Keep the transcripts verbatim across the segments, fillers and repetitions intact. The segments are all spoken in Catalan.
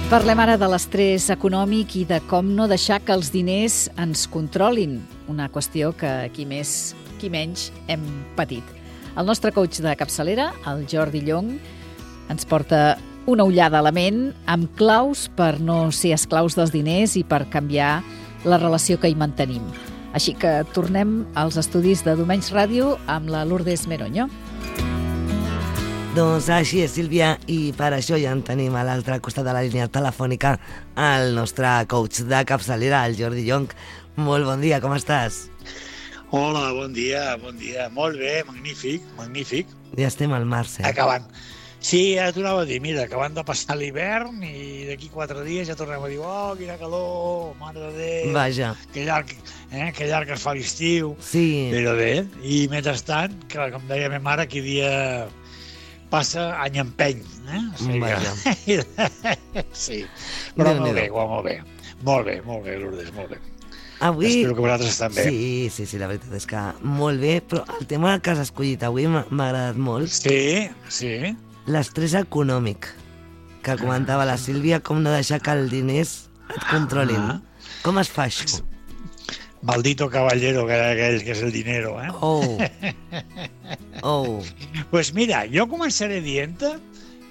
Parlem ara de l'estrès econòmic i de com no deixar que els diners ens controlin, una qüestió que qui més, qui menys hem patit. El nostre coach de capçalera, el Jordi Llong, ens porta una ullada a la ment amb claus per no ser esclaus dels diners i per canviar la relació que hi mantenim. Així que tornem als estudis de Domenys Ràdio amb la Lourdes Meroño. Doncs així és, Sílvia, i per això ja en tenim a l'altre costat de la línia telefònica el nostre coach de capçalera, el Jordi Llong. Molt bon dia, com estàs? Hola, bon dia, bon dia. Molt bé, magnífic, magnífic. Ja estem al març, eh? Acabant. Sí, ja t'ho anava a dir, mira, acabant de passar l'hivern i d'aquí quatre dies ja tornem a dir oh, quina calor, mare de Déu. Vaja. Que llarg, eh, que llarg es fa l'estiu. Sí. Però bé, i mentrestant, que, com deia ma mare, que dia passa any empeny, eh? O sigui, Vaja. sí, però molt bé, molt bé. Molt bé, molt bé, Lourdes, molt bé. Avui... Espero que vosaltres estan bé. Sí, sí, sí, la veritat és que molt bé, però el tema que has escollit avui m'ha agradat molt. Sí, sí. L'estrès econòmic, que comentava la Sílvia, com no deixar que els diners et controlin. Ah. Com es fa això? Maldito caballero que aquell que és el dinero, eh? Oh. Oh. Pues mira, jo començaré dient-te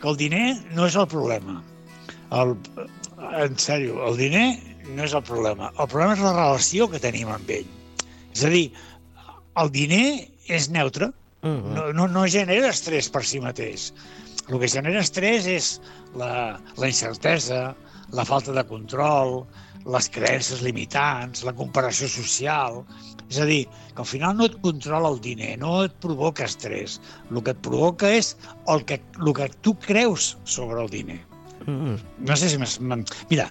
que el diner no és el problema. El, en sèrio, el diner no és el problema. El problema és la relació que tenim amb ell. És a dir, el diner és neutre, uh-huh. no, no, no genera estrès per si mateix. El que genera estrès és la, la incertesa, la falta de control, les creences limitants, la comparació social. És a dir, que al final no et controla el diner, no et provoca estrès. El que et provoca és el que, el que tu creus sobre el diner. Mm. No sé si... Mira,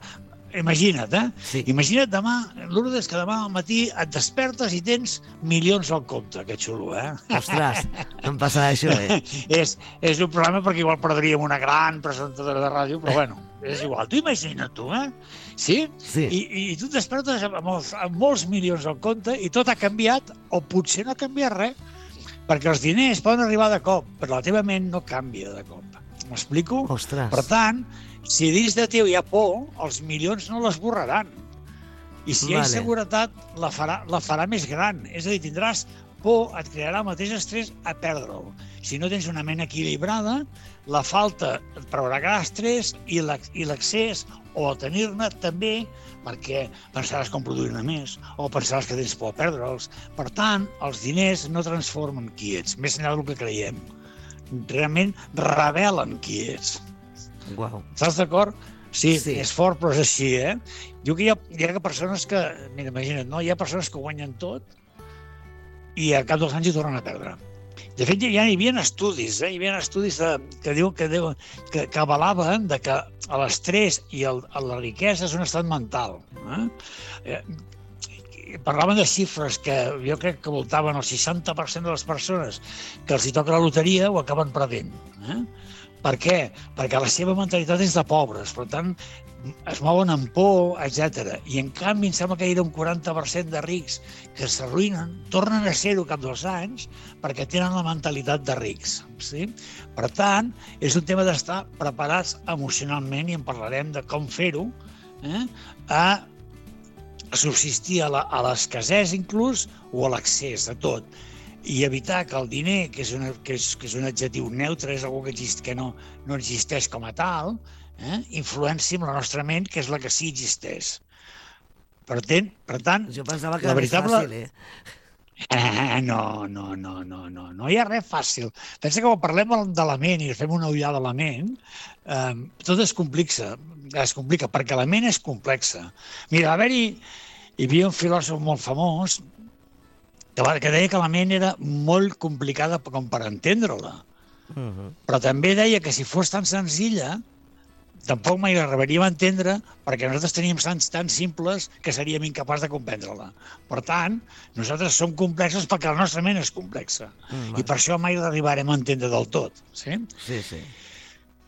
imagina't, eh? Sí. Imagina't demà, Lourdes, que demà al matí et despertes i tens milions al compte. Que xulo, eh? Ostres, no em passarà això, eh? és, és un problema perquè igual perdríem una gran presentadora de ràdio, però bueno, és igual. Tu imagina't tu, eh? Sí? Sí. I, i tu et despertes amb, molts, amb molts milions al compte i tot ha canviat, o potser no ha canviat res, perquè els diners poden arribar de cop, però la teva ment no canvia de cop. M'explico? Ostres. Per tant, si dins de teu hi ha por, els milions no l'esborraran. I si hi ha vale. inseguretat, la farà, la farà més gran. És a dir, tindràs por, et crearà el mateix estrès a perdre'l. Si no tens una ment equilibrada, la falta et provocarà estrès i l'excés o a tenir-ne també, perquè pensaràs com produir-ne més o pensaràs que tens por a perdre'ls. Per tant, els diners no transformen qui ets, més enllà del que creiem. Realment revelen qui ets. Uau. Estàs d'acord? Sí, sí, és fort, però és així, eh? Diu que hi ha, hi ha persones que, mira, imagina't, no? Hi ha persones que guanyen tot i a cap dels anys hi tornen a perdre. De fet, ja hi havia estudis, eh? Hi havia estudis de, que diuen que, diu, que, que avalaven de que l'estrès i el, la riquesa és un estat mental. Eh? Eh, parlaven de xifres que jo crec que voltaven el seixanta per cent de les persones que els hi toca la loteria ho acaben perdent. Eh? Per què? Perquè la seva mentalitat és de pobres, per tant, es mouen amb por, etcètera. I en canvi, em sembla que hi ha un quaranta per cent de rics que s'arruïnen, tornen a ser-ho cap dels anys, perquè tenen la mentalitat de rics. Sí? Per tant, és un tema d'estar preparats emocionalment, i en parlarem de com fer-ho, eh? a subsistir a l'escassez inclús, o a l'excés de tot. I evitar que el diner, que és, una, que és, que és un adjectiu neutre, és algo que, exist, que no, no existeix com a tal, eh? influencia amb la nostra ment, que és la que sí existeix. Per tant, per tant jo pensava que la era veritable... fàcil, eh? Eh, no, no, no, no, no, no hi ha res fàcil. Pensa que quan parlem de la ment i fem una ullada a la ment, eh, tot es complica, es complica, perquè la ment és complexa. Mira, a haver-hi, hi havia un filòsof molt famós que deia que la ment era molt complicada com per entendre-la. Uh-huh. Però també deia que si fos tan senzilla, tampoc mai l'arribaríem a entendre, perquè nosaltres teníem sants tan simples que seríem incapaç de comprendre-la. Per tant, nosaltres som complexos perquè la nostra ment és complexa. Uh-huh. I per això mai l'arribarem a entendre del tot. Sí? Sí, sí.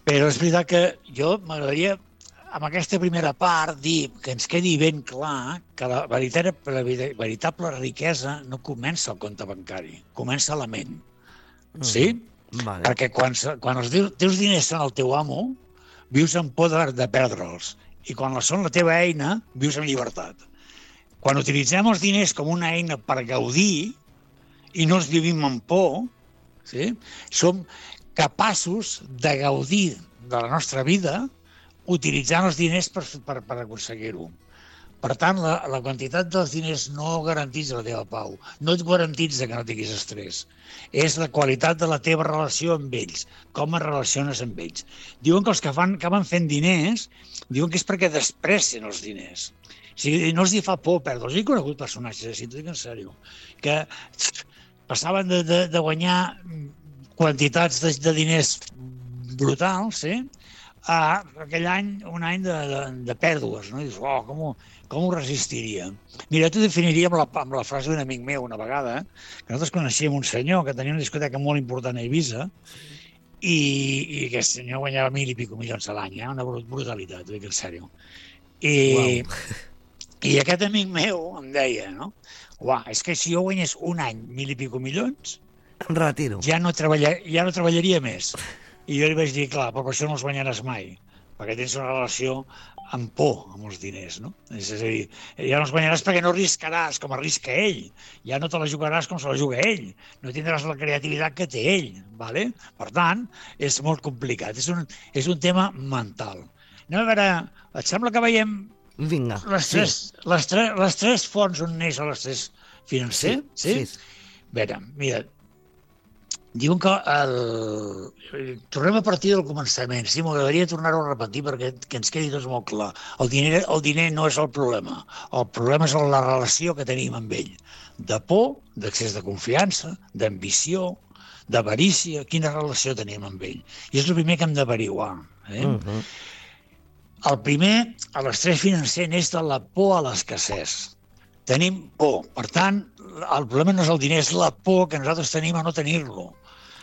Però és veritat que jo m'agradaria, amb aquesta primera part, dir que ens quedi ben clar que la veritable, la veritable riquesa no comença al compte bancari, comença a la ment. Sí? Vale. Perquè quan, quan els teus diners són el teu amo, vius amb por de, de perdre'ls. I quan són la teva eina, vius en llibertat. Quan utilitzem els diners com una eina per gaudir i no els vivim amb por, sí? Som capaços de gaudir de la nostra vida utilitzant els diners per, per, per aconseguir-ho. Per tant, la, la quantitat dels diners no garantitza la teva pau, no et garantitza que no tinguis estrès. És la qualitat de la teva relació amb ells, com es relaciones amb ells. Diuen que els que fan, acaben fent diners, diuen que és perquè desprecien els diners. O sigui, no els hi fa por perdre'ls. He conegut personatges, si t'ho dic en sèrio, que passaven de, de, de guanyar quantitats de, de diners brutals, sí? A aquell any, un any de, de, de pèrdues, no? I dius, oh, com ho, com ho resistiria? Mira, t'ho definiria amb la, amb la frase d'un amic meu una vegada, que nosaltres coneixíem un senyor que tenia una discoteca molt important a Eivissa i, i aquest senyor guanyava mil i pico milions a l'any, eh? Una brutalitat, t'ho dic en sèrio. I, wow. I aquest amic meu em deia, no? Uah, és que si jo guanyés un any mil i pico milions, em retiro. Ja no, treballar, ja no treballaria més. I jo li vaig dir, clar, però per això no els guanyaràs mai, perquè tens una relació amb por amb els diners, no? És a dir, ja no els guanyaràs perquè no arriscaràs com arrisca ell, ja no te la jugaràs com se la juga ell, no tindràs la creativitat que té ell, ¿vale? Per tant, és molt complicat, és un, és un tema mental. Anem a veure, et sembla que veiem Vinga, les, tres, sí. les, tres, les tres fonts on neix l'estrès financer? Sí, sí. sí. A veure, mira, diuen que el... tornem a partir del començament. Sí, m'agradaria tornar-ho a repetir perquè que ens quedi tot molt clar. El diner, el diner no és el problema. El problema és la relació que tenim amb ell. De por, d'accés de confiança, d'ambició, d'avarícia. Quina relació tenim amb ell? I és el primer que hem d'averiguar. Eh? Uh-huh. El primer, a l'estrès financer, neix de la por a l'escassez. Tenim por. Per tant, el problema no és el diner, és la por que nosaltres tenim a no tenir-lo.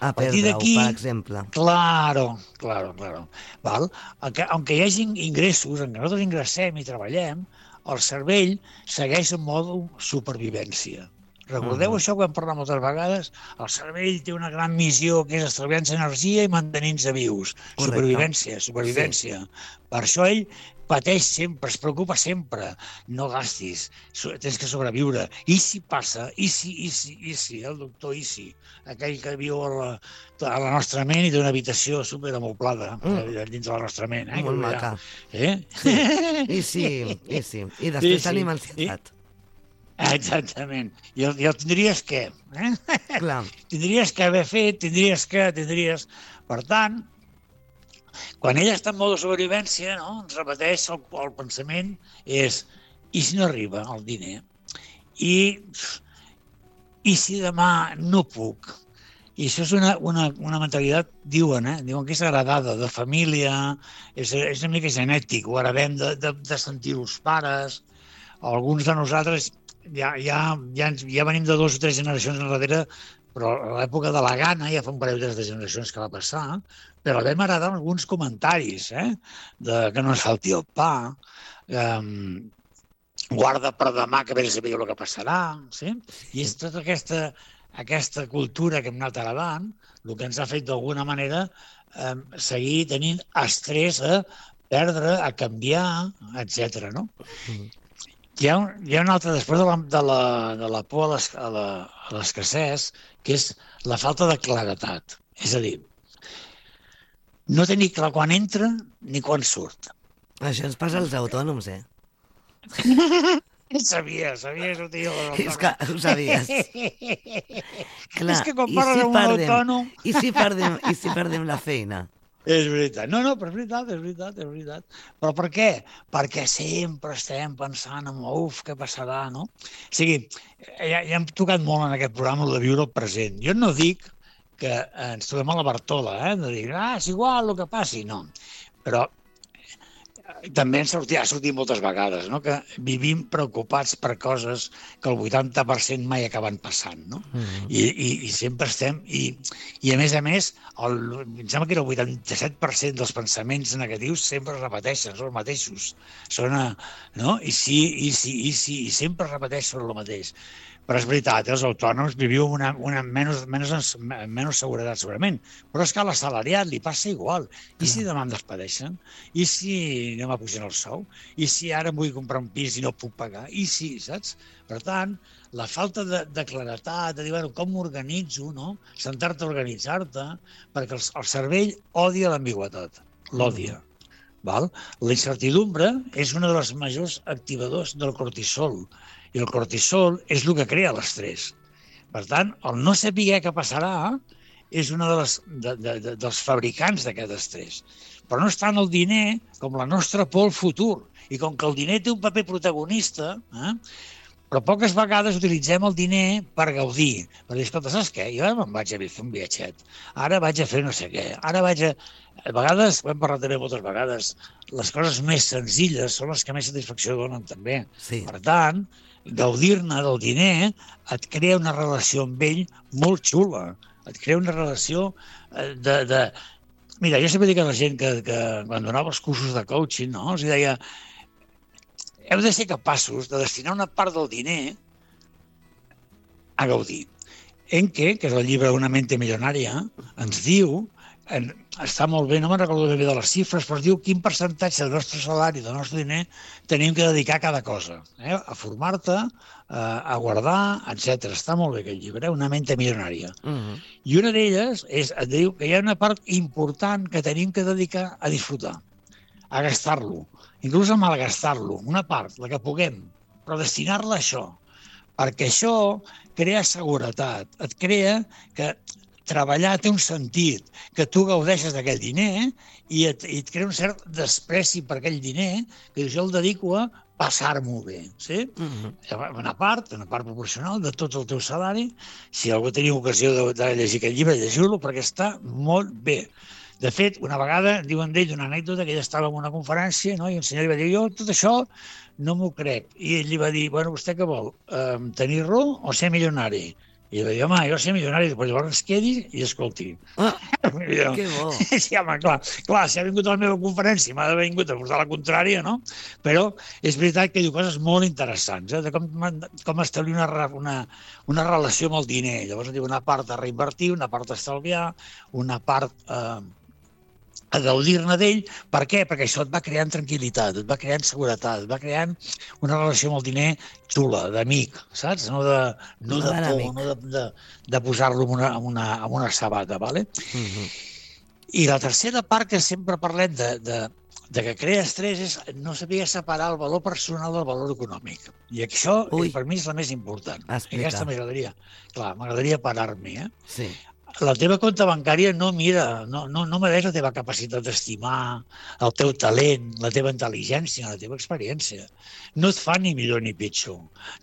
A perdre-ho, per exemple. Claro, claro, claro. Val? Aunque, aunque hi hagi ingressos, en què nosaltres ingressem i treballem, el cervell segueix en mode supervivència. Recordeu uh-huh. això que hem parlat moltes vegades? El cervell té una gran missió que és estalviar-nos energia i mantenir-nos vius. Correcte. Supervivència, supervivència. Sí. Per això ell pateix sempre, es preocupa sempre. No gastis, tens que sobreviure. I si passa, i si, i si, i si, el doctor i si, aquell que viu a la, a la nostra ment i té una habitació superamoblada mm. dins de la nostra ment. Eh? Molt maca. Eh? Sí. I sí, i sí. I després sí, tenim ansietat. Exactament. I el, i el tindries què? Eh? Clar. Tindries que haver fet, tindries que, tindries... Per tant, quan ella està en mode supervivència, no? Ens repeteix el, el pensament, és i si no arriba el diner? I, i si demà no puc? I això és una, una, una mentalitat, diuen, eh? diuen que és heredada de família, és, és una mica genètic, ho heredem de, de, de sentir els pares. Alguns de nosaltres ja, ja, ja, ja venim de dues o tres generacions enrere, però a l'època de la gana, ja fa un parell de generacions que va passar, però vam heredar alguns comentaris, eh? De que no ens falti el pa, eh, guarda per demà que vés a veure el que passarà, sí? I és tota aquesta, aquesta cultura que hem anat heredant, el que ens ha fet d'alguna manera eh, seguir tenint estrès a perdre, a canviar, etcètera, no? Mm. Hi ha, un, hi ha un altre, després de la, de la, de la por a l'escassez, que és la falta de claretat. És a dir, no tenir clar quan entra ni quan surt. Això ens passa als autònoms, eh? Sabia, sabia això, tio. És que ho sabies. Clar, és que quan parles amb un autònom... I si perdem, i si perdem la feina? És veritat. No, no, però és veritat, és veritat, és veritat. Però per què? Perquè sempre estem pensant en, uf, què passarà, no? O sigui, ja, ja hem tocat molt en aquest programa de viure el present. Jo no dic que ens trobem a la Bartola, eh? De dir, ah, és igual el que passi, no. Però també ens sortia, ha sortit moltes vegades, no? Que vivim preocupats per coses que el vuitanta per cent mai acaben passant, no? Mm-hmm. I, i, I sempre estem... I, i a més a més, el, em sembla que era el vuitanta-set per cent dels pensaments negatius sempre es repeteixen, són els mateixos. Són, no? I sí, i sí, i sí, i sempre es repeteixen el mateix. Però és veritat, els autònoms viviu una, una menys, menys, menys seguretat, segurament. Però és que a l'assalariat li passa igual. I si demà em despedeixen? I si no m'apugen el sou? I si ara em vull comprar un pis i no puc pagar? I si, saps? Per tant, la falta de, de claretat, de dir, bueno, com m'organitzo, no? Sentar-te a organitzar-te, perquè el, el cervell odia l'ambigüitat, l'odia. Val? La incertidumbre és una de les majors activadors del cortisol, i el cortisol és el que crea l'estrès. Per tant, el no saber què passarà és un de les, de, de, de, dels fabricants d'aquest estrès. Però no és tant el diner com la nostra por al futur. I com que el diner té un paper protagonista, eh, però poques vegades utilitzem el diner per gaudir. Per dir, escolta, saps què? Jo ara me'n vaig a fer un viatget. Ara vaig a fer no sé què. Ara vaig a... A vegades, ho hem parlat també moltes vegades, les coses més senzilles són les que més satisfacció donen també. Sí. Per tant, gaudir-ne del diner et crea una relació amb ell molt xula. Et crea una relació de... de... Mira, jo sempre dic a la gent que, que quan donava els cursos de coaching, no? Els deia, heu de ser capaços de destinar una part del diner a gaudir. Enke, que és el llibre Una mente milionària, ens diu, en, està molt bé, no me'n recordo bé de les xifres, però es diu quin percentatge del nostre salari, del nostre diner, tenim que dedicar a cada cosa. Eh? A formar-te, a guardar, etcètera. Està molt bé aquest llibre, Una mente milionària. Uh-huh. I una d'elles és, et diu que hi ha una part important que tenim que dedicar a disfrutar, a gastar-lo, inclús a malgastar-lo, una part, la que puguem, però destinar-la a això, perquè això crea seguretat, et crea que treballar té un sentit, que tu gaudeixes d'aquell diner i et, i et crea un cert despreci per aquell diner que jo el dedico a passar-m'ho bé. Sí? Uh-huh. Una part, una part proporcional de tot el teu salari. Si algú teniu ocasió de, de llegir aquest llibre, llegiu-lo perquè està molt bé. De fet, una vegada diuen d'ell una anècdota que ell estava en una conferència, no? I un senyor li va dir, jo tot això no m'ho crec. I ell li va dir, bueno, vostè què vol? Eh, tenir-lo o ser milionari? I ell va dir, home, jo ser milionari, després llavors es quedi i escolti. Ah, que bo. Sí, home, clar, clar, si ha vingut a la meva conferència m'ha vingut a portar la contrària, no? Però és veritat que diu coses molt interessants, eh? De com, com establir una, una, una relació amb el diner. Llavors diu una part a reinvertir, una part a estalviar, una part eh, a gaudir-ne d'ell. Per què? Perquè això et va creant tranquil·litat, et va creant seguretat, et va creant una relació amb el diner xula, d'amic, saps? No de, no de por, no de, de, de posar-lo en una, en una, en una sabata, ¿vale? Uh-huh. I la tercera part que sempre parlem de, de, de que crea estrès és no saber separar el valor personal del valor econòmic. I això, Ui. per mi, és la més important. Explica. Aquesta m'agradaria, clar, m'agradaria parar-m'hi, eh? Sí. La teva compte bancària no mira, no, no, no mereix la teva capacitat d'estimar, el teu talent, la teva intel·ligència, la teva experiència. No et fa ni millor ni pitjor.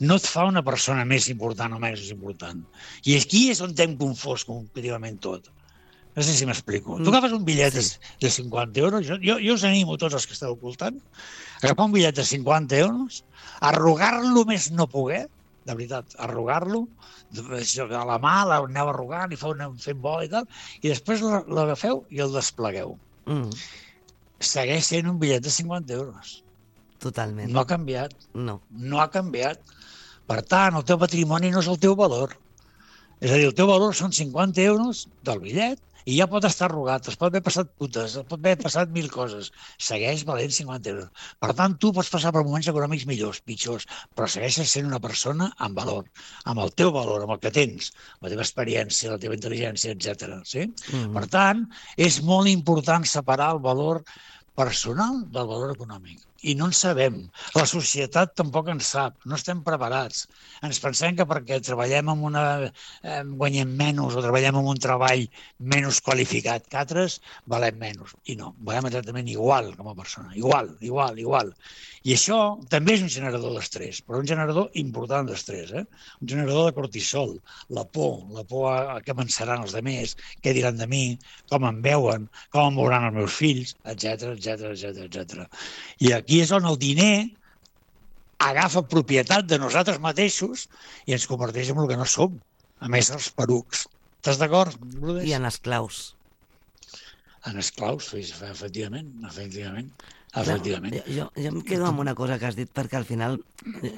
No et fa una persona més important o menys important. I aquí és on t'hem confós competitivament tot. No sé si m'explico. Mm. Tu agafes un bitllet sí. de cinquanta euros, jo, jo, jo us animo tots els que esteu ocultant, agafar un bitllet de cinquanta euros, arrugar-lo més no poder, de veritat, arrugar-lo, a la mà l'aneu arrugant i fent bola i tal, i després l'agafeu i el desplegueu. Mm. Segueix sent un bitllet de cinquanta euros. Totalment. No ha canviat. No. No ha canviat. Per tant, el teu patrimoni no és el teu valor. És a dir, el teu valor són cinquanta euros del bitllet i ja pot estar arrugat, es pot haver passat putes, es pot haver passat mil coses. Segueix valent cinquanta euros. Per tant, tu pots passar per moments econòmics millors, pitjors, però segueixes sent una persona amb valor, amb el teu valor, amb el que tens, la teva experiència, la teva intel·ligència, etcètera. Sí? Mm-hmm. Per tant, és molt important separar el valor personal del valor econòmic. i no en sabem. La societat tampoc en sap, no estem preparats. Ens pensem que perquè treballem en una... Eh, guanyem menys o treballem en un treball menys qualificat que altres, valem menys. I no, valem exactament igual com a persona. Igual, igual, igual. I això també és un generador d'estrès, però un generador important d'estrès, eh? Un generador de cortisol, la por, la por a, a què pensaran els altres, què diran de mi, com em veuen, com em veuran els meus fills, etcètera, etcètera, etcètera, etcètera. I aquí és on el diner agafa propietat de nosaltres mateixos i ens converteix en el que no som, a més els perucs. Estàs d'acord, Lourdes? I en esclaus. En esclaus, efectivament, efectivament. Efectivament. No, jo, jo em quedo amb una cosa que has dit, perquè al final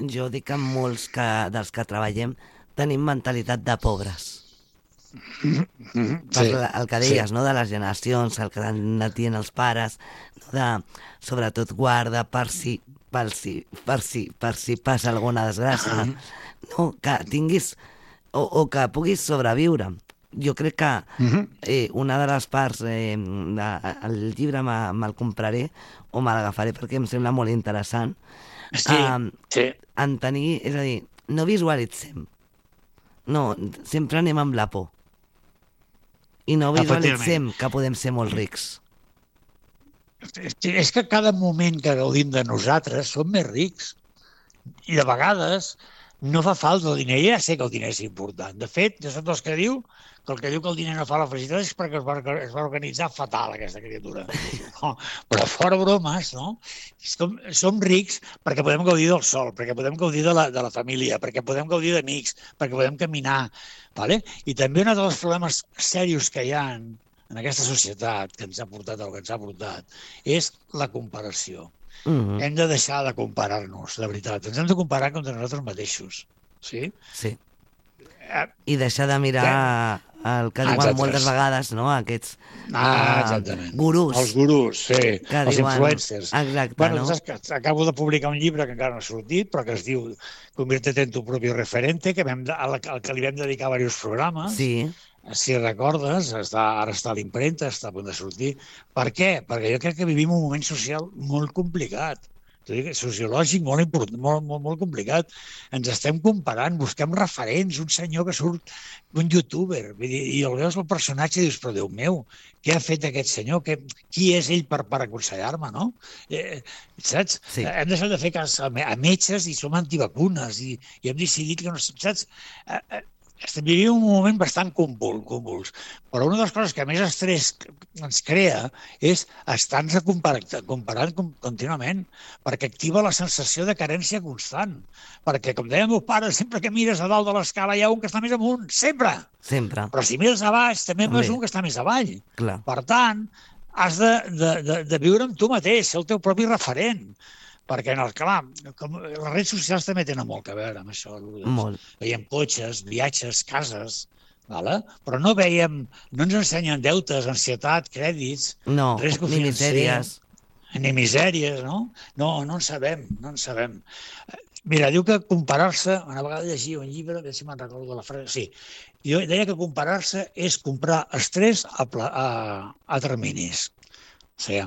jo dic que molts que, dels que treballem tenim mentalitat de pobres. Sí, el, el que deies, sí. No? De les generacions, el que natien els pares, no? De, sobretot guarda per si, per si, per si, per si passa alguna desgràcia, no? Que tinguis o, o que puguis sobreviure. Jo crec que eh, una de les parts eh, del llibre me'l me compraré o me l'agafaré perquè em sembla molt interessant. Sí, um, sí. En tenir, és a dir, no visualitzem. No, sempre anem amb la por. I no visualitzem que podem ser molt rics. És que cada moment que gaudim de nosaltres som més rics. I de vegades no fa falta el diner. Ja sé que el diner és important. De fet, jo soc dels que diu que el que diu que el diner no fa la felicitat és perquè es va, es va organitzar fatal, aquesta criatura. No, però fora bromes, no? Som, som rics perquè podem gaudir del sol, perquè podem gaudir de la, de la família, perquè podem gaudir d'amics, perquè podem caminar. Vale? I també un dels problemes serios que hi ha en, en aquesta societat que ens ha portat el que ens ha portat és la comparació. Uh-huh. Hem de deixar de comparar-nos, de veritat. Ens hem de comparar contra nosaltres mateixos. Sí? Sí. I deixar de mirar el que diuen exacte. Moltes vegades, no? Aquests ah, uh, gurús. Els gurús, sí. Que els diuen... influencers. Exacte, bueno, no? Doncs, acabo de publicar un llibre que encara no ha sortit, però que es diu Conviértete en tu propio referente, que vam, al, al que li vam dedicar diversos programes. Sí. Si recordes, està, ara està a l'impremta, està a punt de sortir. Per què? Perquè jo crec que vivim un moment social molt complicat. Sociològic molt, important, molt, molt, molt complicat. Ens estem comparant, busquem referents, un senyor que surt, un youtuber, i el veus el personatge i dius, però Déu meu, què ha fet aquest senyor? Que, qui és ell per, per aconsellar-me, no? Eh, saps? Sí. Hem deixat de fer cas a, a metges i som antivacunes i, i hem decidit que no... Saps? Eh, eh, Estem vivint un moment bastant convuls, però una de les coses que més estrès ens crea és estar-nos comparant contínuament, perquè activa la sensació de carència constant. Perquè, com deia el meu pare, sempre que mires a dalt de l'escala hi ha un que està més amunt, sempre! Sempre. Però si mires a baix, també hi ha un que està més avall. Clar. Per tant, has de, de, de, de viure amb tu mateix, ser el teu propi referent. Perquè, en el clar, com, les redes socials també tenen molt a veure amb això. Molt. Veiem cotxes, viatges, cases, vale? Però no veiem, no ens ensenyen deutes, ansietat, crèdits, no, risc ni misèries. Ni misèries, no? No, no en sabem, no en sabem. Mira, diu que comparar-se, una vegada llegia un llibre, a veure si me'n recordo la frase, sí, jo deia que comparar-se és comprar estrès a, a, a terminis. O sigui,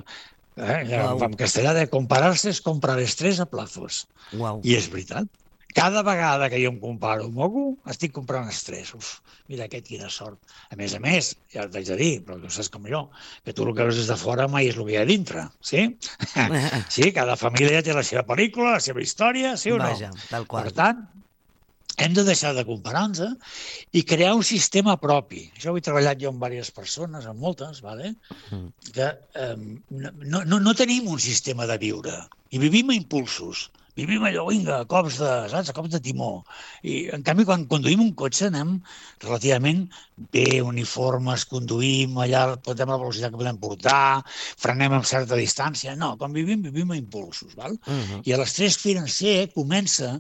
Eh, wow. En castellà de comparar-se és comprar estrès a plazos. Wow. I és veritat. Cada vegada que jo em comparo amb algú, estic comprant estrès. Uf, mira aquest, quina sort. A més a més, ja t'haig de dir, però tu saps com jo, que tu el que veus des de fora mai és el que hi ha dintre, sí? Sí, cada família ja té la seva pel·lícula, la seva història, sí o no? Vaja, tal qual. Per tant, hem de deixar de comparar-nos i crear un sistema propi. Això ho he treballat jo amb diverses persones, amb moltes, vale? Que eh, no, no, no tenim un sistema de viure i vivim a impulsos. Vivim allò, vinga, a cops de, saps, a cops de timó. I, en canvi, quan conduïm un cotxe anem relativament bé, uniformes, conduïm, allà portem la velocitat que podem portar, frenem amb certa distància. No, quan vivim, vivim a impulsos, val? Uh-huh. I l'estrès financer comença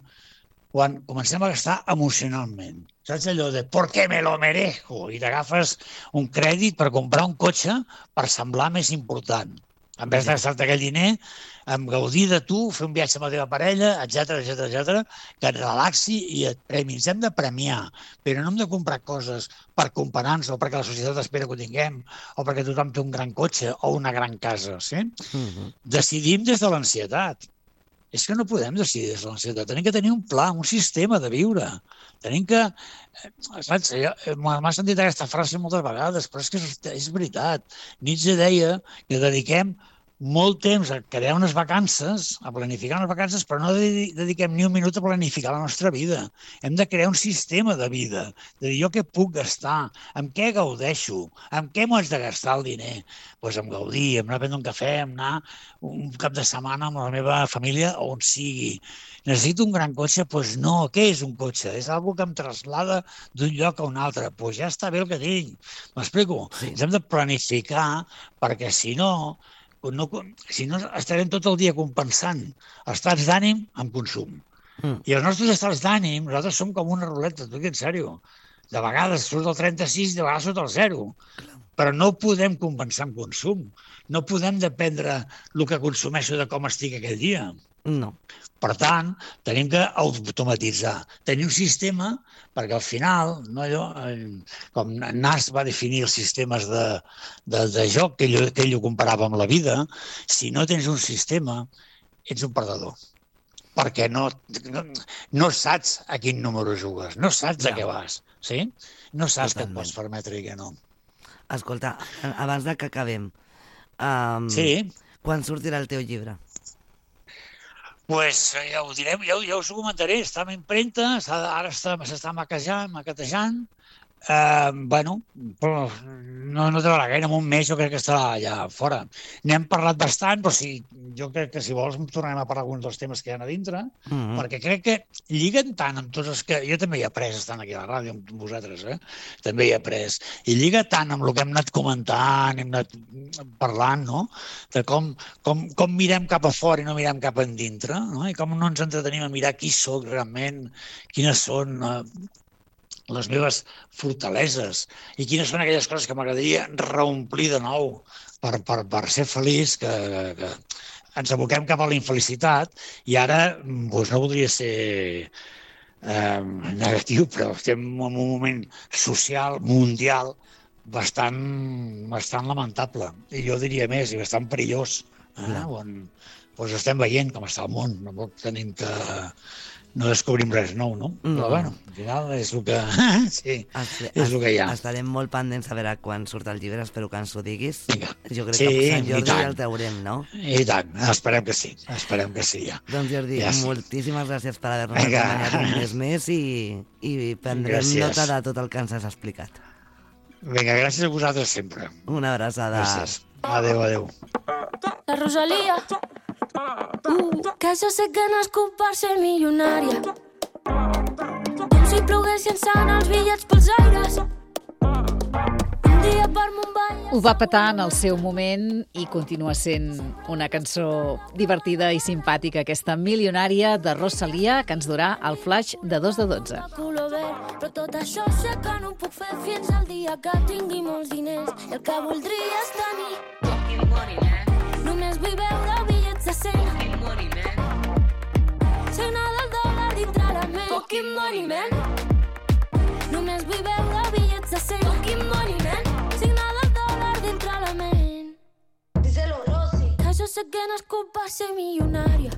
quan comencem a gastar emocionalment. Saps allò de ¿por qué me lo merezco? I t'agafes un crèdit per comprar un cotxe per semblar més important. En vez de gastar-te aquell diner, en gaudir de tu, fer un viatge amb la teva parella, etcètera, etcètera, etcètera, que et relaxi i et premi. Ens hem de premiar, però no hem de comprar coses per comparar-nos o perquè la societat espera que ho tinguem o perquè tothom té un gran cotxe o una gran casa. Sí? Uh-huh. Decidim des de l'ansietat. És que no podem decidir des de l'ansietat. Tenim que tenir un pla, un sistema de viure. Tenim que... Saps? M'ha sentit aquesta frase moltes vegades, però és que és veritat. Nietzsche deia que dediquem molt temps a crear unes vacances, a planificar unes vacances, però no dediquem ni un minut a planificar la nostra vida. Hem de crear un sistema de vida, de dir jo què puc gastar, amb què gaudeixo, amb què m'ho haig de gastar el diner. Doncs pues amb gaudir, amb anar a prendre un cafè, amb anar un cap de setmana amb la meva família on sigui. Necessito un gran cotxe? Doncs pues no, què és un cotxe? És algo que em traslada d'un lloc a un altre. Doncs pues ja està bé el que tinc. M'explico? Sí. Ens hem de planificar perquè si no... No, si no, estarem tot el dia compensant estats d'ànim amb consum. Mm. I els nostres estats d'ànim, nosaltres som com una ruleta, t'ho dic en sèrio. De vegades surt el trenta-sis, de vegades surt el zero. Però no podem compensar amb consum. No podem dependre el que consumeixo de com estic aquell dia. No. Per tant, tenim que automatitzar, tenir un sistema, perquè al final, no, allò, com Nas va definir els sistemes de, de, de joc, que ell, que ell ho comparava amb la vida, si no tens un sistema, ets un perdedor. Perquè no, no, no saps a quin número jugues, no saps a què vas, sí? No saps què et pots permetre i què no. Escolta, abans de que acabem, um, sí. Quan sortirà el teu llibre? Pues ja ho direm, ja, ja us ho comentaré, està en impremta, ara s'està maquejant, maquetejant, eh, bueno, però no, no trobarà gaire, en un mes jo crec que estarà allà fora. N'hem parlat bastant, però sí, jo crec que si vols tornarem a parlar alguns dels temes que hi ha a dintre, mm-hmm. perquè crec que lliguen tant amb tots els que... Jo també hi he après estant aquí a la ràdio amb vosaltres, eh? També hi he après. I lliga tant amb el que hem anat comentant, hem anat parlant, no? De com, com, com mirem cap a fora i no mirem cap a dintre, no? I com no ens entretenim a mirar qui soc realment, quines són... Eh, les meves fortaleses i quines són aquelles coses que m'agradaria reomplir de nou per, per, per ser feliç, que, que ens aboquem cap a la infelicitat i ara doncs, no voldria ser eh, negatiu, però estem en un moment social, mundial, bastant, bastant lamentable. I jo diria més, i bastant perillós, eh, on doncs, estem veient com està el món, no tenim que... No descobrim res nou, no? no? Però, bueno, al final és el que... sí, Estre, és el que hi ha. Estarem molt pendents a veure quan surt el llibre, espero que ens ho diguis. Vinga. Jo crec sí, que a Sant Jordi ja el teurem, no? I tant, esperem que sí, esperem que sí, ja. Doncs Jordi, ja sí. moltíssimes gràcies per haver-nos Vinga. acompanyat un mes més i, i prendrem gràcies. nota de tot el que ens has explicat. Vinga, gràcies a vosaltres sempre. Una abraçada. Gràcies. Adéu, adéu. La Rosalía. Uh, que jo sé que nascut per ser milionària. Com si ploguessin sant els bitllets pels aires. Un dia per Mumbai. Ho va petar en el seu moment i continua sent una cançó divertida i simpàtica, aquesta Milionària de Rosalía, que ens durà el flash de dos de dotze. Però tot això sé que no ho puc fer fins al dia que tingui molts diners. I el que voldria és tenir fucking money, man. Només vull veure bitllets de cent. Fucking money, man. Signar del dòlar dintre la ment. Fucking money, man. Només vull veure bitllets de cent. Fucking money, man. Signar del dòlar dintre la ment. Díselo, Rosy. Que jo sé que nascut per ser milionària.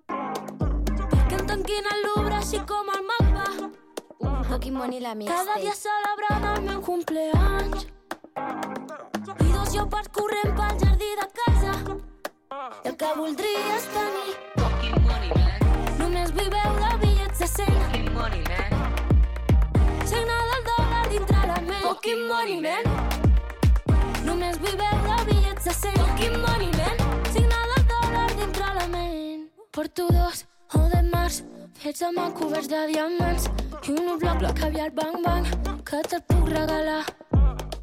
Perquè em tanquin el Louvre així com el mapa. Fucking money, la mixtape. Cada dia celebrant el meu cumpleaños. I dos llopards corrent pel jardí de casa. I el que voldria és tenir fucking money, man. Només vull veure bitllets de cent. Fucking money, man. Signar del dòlar dintre la ment. Fucking money, man. Només vull veure bitllets de cent. Fucking money, man. Signar del dòlar dintre la ment. Porto dos o de març fets amb coberts de diamants i un bloc de caviar bang bang que te'l puc regalar.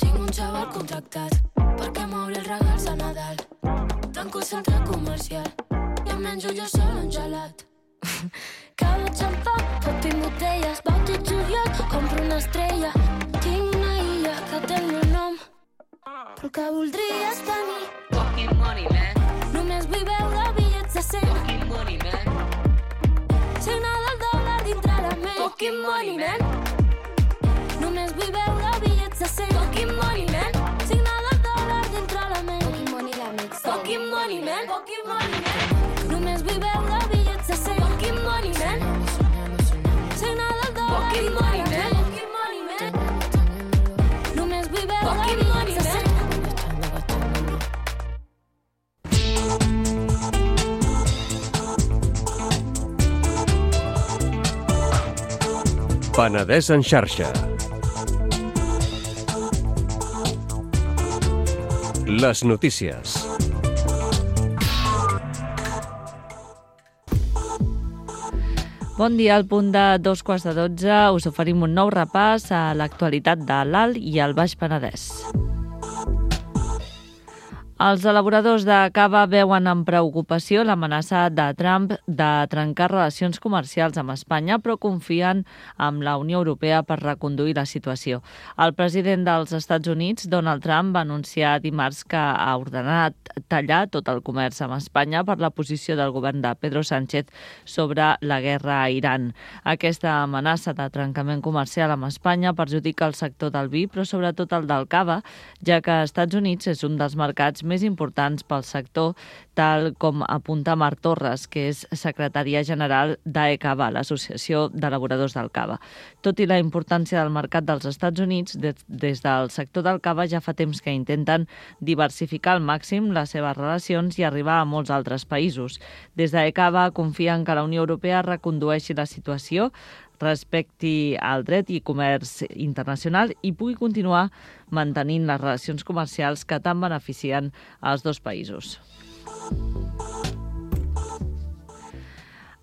Tinc un xaval contractat perquè m'obri els regals a Nadal. Tanco el centre comercial i em menjo jo sol un gelat. Cada xampà, pot i botelles, vaig i juliol, compro una estrella. Tinc una illa que té el meu nom, però el que voldria és tenir Només vull veure bitllets de cent. Signa del dòlar dintre la ment. Fucking money, man. Només vull veure bitllets de cent. Fucking money, man. Signa del dòlar dintre la ment. Fucking money, la mix. Fucking money, man. Fucking money, man. Només vull veure bitllets de cent. Fucking money, man. Signa del dòlar dintre la ment. Fucking money, man. Només vull veure bitllets de cent. Penedès en xarxa. Les notícies. Bon dia, al punt de dos quarts de dotze us oferim un nou repàs a l'actualitat de l'Alt i el Baix Penedès. Els elaboradors de cava veuen amb preocupació l'amenaça de Trump de trencar relacions comercials amb Espanya, però confien en la Unió Europea per reconduir la situació. El president dels Estats Units, Donald Trump, va anunciar dimarts que ha ordenat tallar tot el comerç amb Espanya per la posició del govern de Pedro Sánchez sobre la guerra a Iran. Aquesta amenaça de trencament comercial amb Espanya perjudica el sector del vi, però sobretot el del cava, ja que Estats Units és un dels mercats més importants pel sector, tal com apunta Marc Torres, que és secretària general d'AECAVA, l'Associació d'Elaboradors del Cava. Tot i la importància del mercat dels Estats Units, des, des del sector del cava ja fa temps que intenten diversificar al màxim les seves relacions i arribar a molts altres països. Des d'AECAVA confien que la Unió Europea recondueixi la situació, respecti al dret i comerç internacional i pugui continuar mantenint les relacions comercials que tant beneficien als dos països.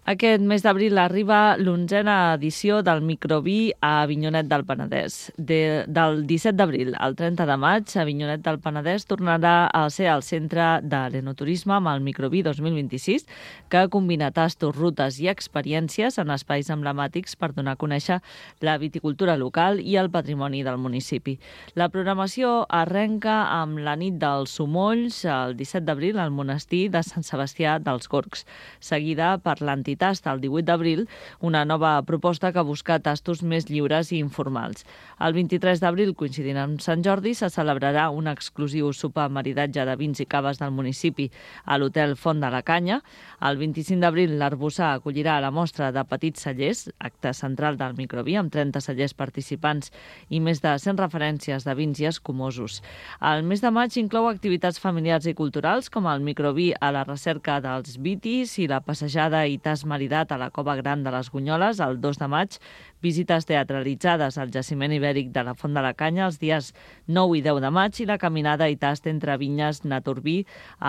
Aquest mes d'abril arriba l'onzena edició del Microví a Avinyonet del Penedès. De, del disset d'abril al trenta de maig, Avinyonet del Penedès tornarà a ser el centre de l'enoturisme amb el Microví dos mil vint-i-sis, que combina tastos, rutes i experiències en espais emblemàtics per donar a conèixer la viticultura local i el patrimoni del municipi. La programació arrenca amb la nit dels Somolls, el disset d'abril, al monestir de Sant Sebastià dels Gorgs, seguida per l'entitat Tast el divuit d'abril, una nova proposta que busca tastos més lliures i informals. El vint-i-tres d'abril, coincidint amb Sant Jordi, se celebrarà un exclusiu sopar maridatge de vins i caves del municipi a l'Hotel Font de la Canya. El vint-i-cinc d'abril, l'Arboçar acollirà la mostra de petits cellers, acte central del Microví, amb trenta cellers participants i més de cent referències de vins i escumosos. El mes de maig inclou activitats familiars i culturals, com el Microví a la recerca dels vitis i la passejada i tas maridat a la Cova Gran de les Gunyoles el dos de maig, visites teatralitzades al jaciment ibèric de la Font de la Canya els dies nou i deu de maig i la caminada i tast entre vinyes Naturbí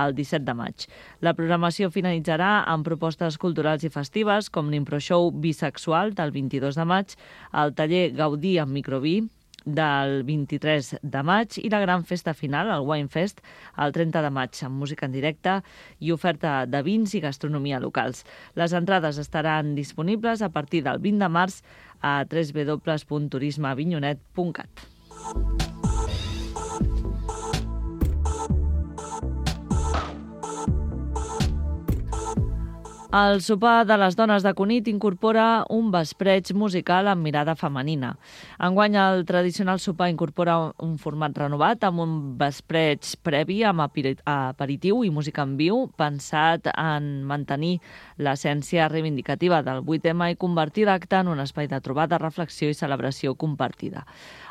el disset de maig. La programació finalitzarà amb propostes culturals i festives com l'Improshow Bisexual del vint-i-dos de maig, el taller Gaudí amb Microví del vint-i-tres de maig i la gran festa final, el Wine Fest, el trenta de maig, amb música en directe i oferta de vins i gastronomia locals. Les entrades estaran disponibles a partir del vint de març a w w w punt turisme avinyonet punt cat. El sopar de les dones de Cunit incorpora un vespreig musical amb mirada femenina. Enguany, el tradicional sopar incorpora un format renovat amb un vespreig previ amb aperitiu i música en viu, pensat en mantenir l'essència reivindicativa del vuit eme i convertir l'acte en un espai de trobada, reflexió i celebració compartida.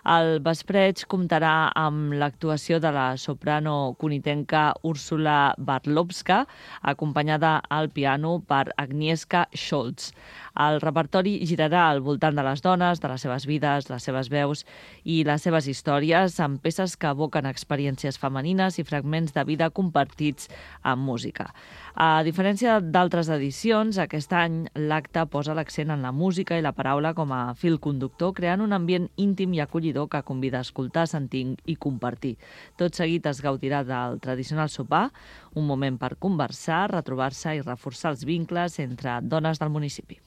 El vespreig comptarà amb l'actuació de la soprano cunitenca Úrsula Bartlowska, acompanyada al piano per Agnieszka Scholz. El repertori girarà al voltant de les dones, de les seves vides, les seves veus i les seves històries, amb peces que evoquen experiències femenines i fragments de vida compartits amb música. A diferència d'altres edicions, aquest any l'acte posa l'accent en la música i la paraula com a fil conductor, creant un ambient íntim i acollidor que convida a escoltar, sentir i compartir. Tot seguit es gaudirà del tradicional sopar, un moment per conversar, retrobar-se i reforçar els vincles entre dones del municipi.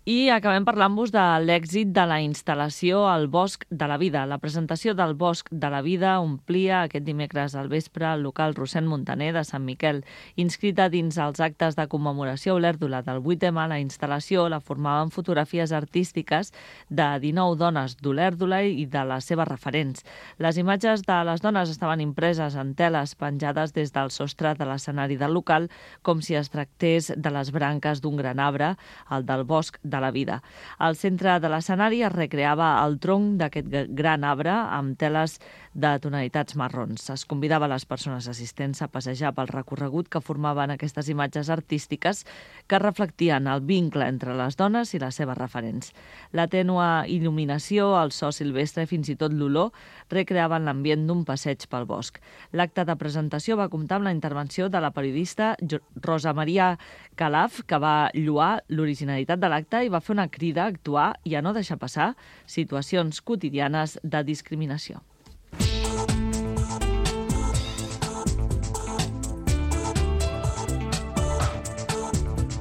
I acabem parlant-vos de l'èxit de la instal·lació al Bosc de la Vida. La presentació del Bosc de la Vida omplia aquest dimecres al vespre el local Rossend Montaner de Sant Miquel. Inscrita dins els actes de commemoració a Olèrdola del vuit ema, la instal·lació la formaven fotografies artístiques de dinou dones d'Olèrdola i de les seves referents. Les imatges de les dones estaven impreses en teles penjades des del sostre de l'escenari del local, com si es tractés de les branques d'un gran arbre, el del Bosc de la Vida. Al centre de l'escenari es recreava el tronc d'aquest gran arbre amb teles de tonalitats marrons. Es convidava les persones assistents a passejar pel recorregut que formaven aquestes imatges artístiques que reflectien el vincle entre les dones i les seves referents. La tènua il·luminació, el so silvestre i fins i tot l'olor recreaven l'ambient d'un passeig pel bosc. L'acte de presentació va comptar amb la intervenció de la periodista Rosa Maria Calaf, que va lloar l'originalitat de l'acte i va fer una crida a actuar i a no deixar passar situacions quotidianes de discriminació.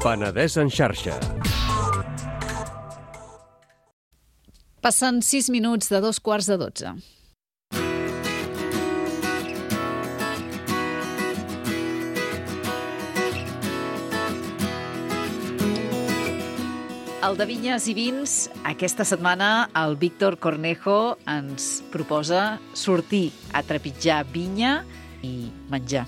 Penedès en xarxa. Passen sis minuts de dos quarts de dotze. El de Vinyes i Vins, aquesta setmana el Víctor Cornejo ens proposa sortir a trepitjar vinya i menjar.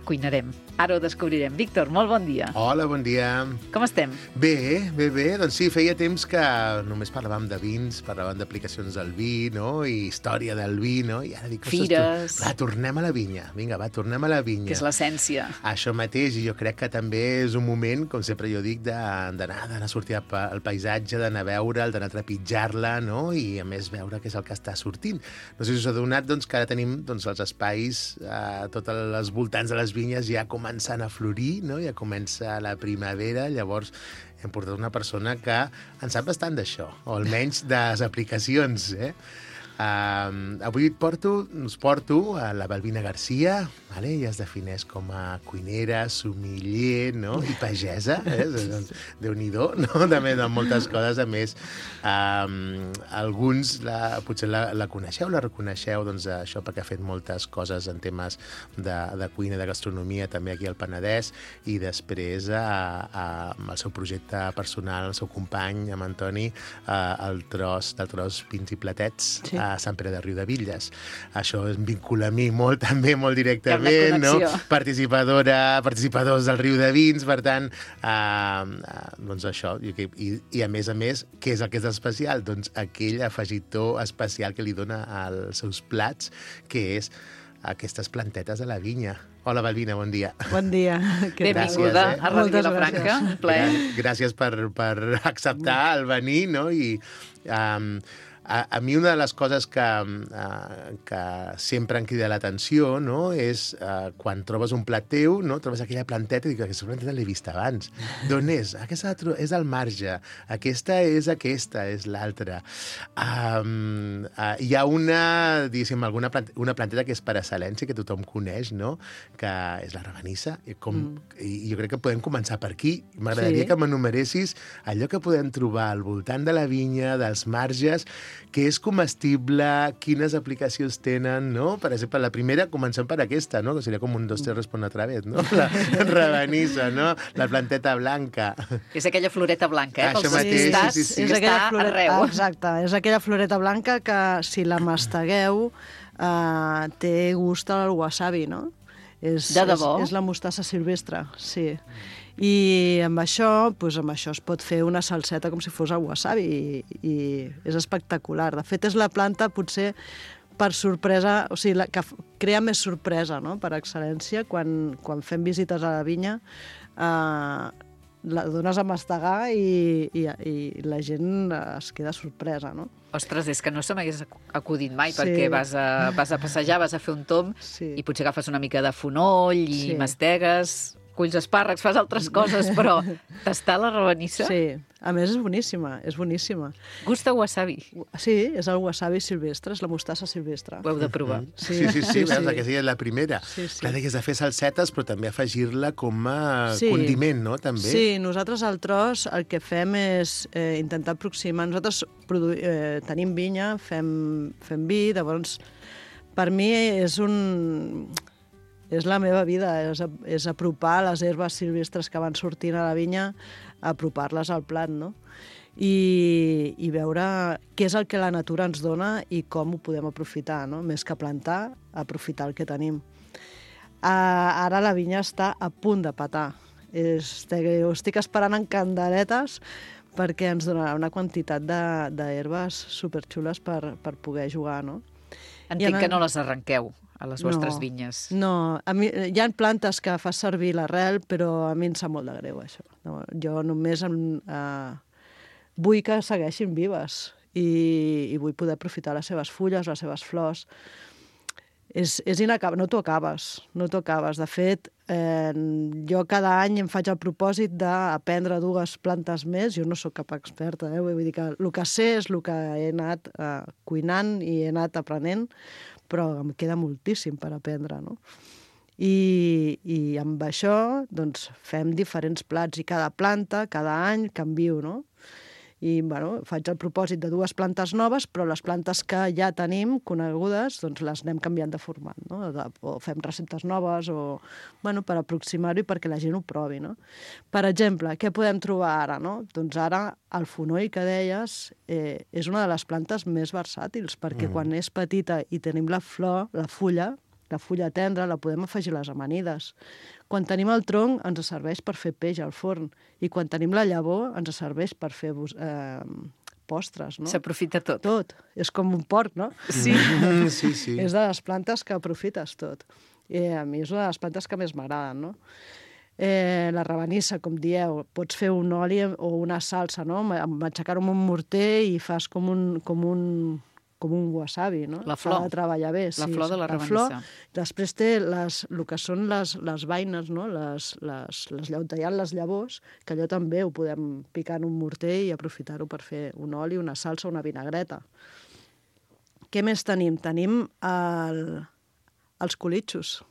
Cuinarem. Ara ho descobrirem. Víctor, molt bon dia. Hola, bon dia. Com estem? Bé, bé, bé. Doncs sí, feia temps que només parlàvem de vins, parlàvem d'aplicacions del vi, no? I història del vi, no? I ara dic... Fires. Va, tornem a la vinya. Vinga, va, tornem a la vinya. Que és l'essència. Això mateix, i jo crec que també és un moment, com sempre jo dic, d'anar a sortir al paisatge, d'anar a veure'l, d'anar a trepitjar-la, no? I a més veure què és el que està sortint. No sé si us ha donat doncs, que ara tenim doncs, els espais, eh, tots els voltants de les vinyes ja començant a florir, no? Ja comença la primavera, llavors hem portat una persona que en sap bastant d'això, o almenys de les aplicacions, eh? Uh, avui et porto, us porto a la Balbina Garcia, vale? Ella es defineix com a cuinera, sommelier, no? I pagesa, eh? Déu-n'hi-do, no? També de moltes coses, a més, um, alguns la, potser la, la coneixeu, la reconeixeu, doncs això perquè ha fet moltes coses en temes de, de cuina, de gastronomia, també aquí al Penedès, i després a, a, amb el seu projecte personal, el seu company, amb Antoni, a, el tros, del tros Pins i Platets, sí, a Sant Pere de Riudebitlles. Això em vincula a mi molt, també, molt directament, no? Participadora, participadors del Riu de Vins, per tant, eh, eh, doncs això. I, i, I a més a més, què és el que és especial? Doncs aquell afegitó especial que li dona als seus plats, que és aquestes plantetes de la vinya. Hola, Balbina, bon dia. Bon dia. Benvinguda eh? a Ràdio Vilafranca. Gràcies per, per acceptar el venir, no? I um, a, a mi una de les coses que, uh, que sempre em crida l'atenció, no? És uh, quan trobes un plat teu, no? Trobes aquella planteta i dic, aquesta planteta l'he vist abans. D'on és? Aquesta és al marge. Aquesta és aquesta, és l'altra. Um, uh, hi ha una, diguéssim, alguna plante, una planteta que és per excel·lència, que tothom coneix, no? Que és la rabanissa. I, com, mm. i jo crec que podem començar per aquí. M'agradaria sí. que m'enumeressis allò que podem trobar al voltant de la vinya, dels marges, que és comestible, quines aplicacions tenen, no? Per exemple, la primera, comencem per aquesta, no? Que seria com un dos, tres, respon otra vez, no? La rabanissa, no? La planteta blanca. És aquella floreta blanca, eh? Això mateix, sí, sí, sí. Que és està floreta, arreu. Exacte, és aquella floreta blanca que, si la mastegueu, eh, té gust al wasabi, no? És, de debò? És, és la mostassa silvestre, sí. I amb això, doncs amb això es pot fer una salseta com si fos el wasabi i, i és espectacular. De fet, és la planta potser per sorpresa, o sigui, la, que crea més sorpresa, no?, per excel·lència. Quan, quan fem visites a la vinya, eh, la dones a mastegar i, i, i la gent es queda sorpresa, no? Ostres, és que no se m'hagués acudit mai, Sí. perquè vas a, vas a passejar, vas a fer un tomb Sí. i potser agafes una mica de fonoll i Sí. mastegues. culls espàrrecs, fas altres coses, però tastar la rabanissa... Sí, a més és boníssima, és boníssima. Gusta wasabi. Sí, és el wasabi silvestre, és la mostassa silvestre. Ho heu de provar. Mm. Sí, sí, sí, sí, veus, sí. Aquesta és la primera. Sí, sí. Clar, deies de fer salsetes, però també afegir-la com a Sí. condiment, no? També. Sí, nosaltres al tros el que fem és eh, intentar aproximar... Nosaltres produ... eh, tenim vinya, fem, fem vi, llavors per mi és un... És la meva vida, és, és apropar les herbes silvestres que van sortint a la vinya, apropar-les al plat, no? I, i veure què és el que la natura ens dona i com ho podem aprofitar, no? Més que plantar, aprofitar el que tenim. Uh, ara la vinya està a punt de petar. Estic, ho estic esperant en candeletes perquè ens donarà una quantitat d'herbes superxules per, per poder jugar, no? Entenc en... que no les arrenqueu a les vostres no, vinyes. No, a mi, hi ha plantes que fa servir l'arrel, però a mi em sap molt de greu, això. No, jo només em, eh, vull que segueixin vives i, i vull poder aprofitar les seves fulles, les seves flors. És, és inacabable, no t'ho acabes, no t'ho acabes. De fet, eh, jo cada any em faig el propòsit d'aprendre dues plantes més. Jo no sóc cap experta, eh? Vull dir que el que sé és el que he anat eh, cuinant i he anat aprenent, però em queda moltíssim per aprendre, no? I, i amb això doncs, fem diferents plats i cada planta, cada any, canvio, no? I bueno, faig el propòsit de dues plantes noves, però les plantes que ja tenim conegudes doncs les anem canviant de format, no? O fem receptes noves, o, bueno, per aproximar-ho i perquè la gent ho provi, no? Per exemple, què podem trobar ara, no? Doncs ara el fonoll que deies eh, és una de les plantes més versàtils, perquè mm. quan és petita i tenim la flor, la fulla, la fulla tendra, la podem afegir a les amanides. Quan tenim el tronc, ens serveix per fer peix al forn. I quan tenim la llavor, ens serveix per fer eh, postres, no? S'aprofita tot. Tot. És com un porc, no? Sí. Mm, sí, sí. És de les plantes que aprofites tot. I a mi és una de les plantes que més m'agraden, no? Eh, la rabanissa, com dieu, pots fer un oli o una salsa, no? Matxacar-ho amb un morter i fas com un... Com un com un wasabi, no? La flor. S'ha de treballar bé. La sí, flor de la rabanissa. Flor. Després té les, el que són les, les vaines, no? Les, les, les llavors, tallant les llavors, que allò també ho podem picar en un morter i aprofitar-ho per fer un oli, una salsa, una vinagreta. Què més tenim? Tenim el, els colitxos.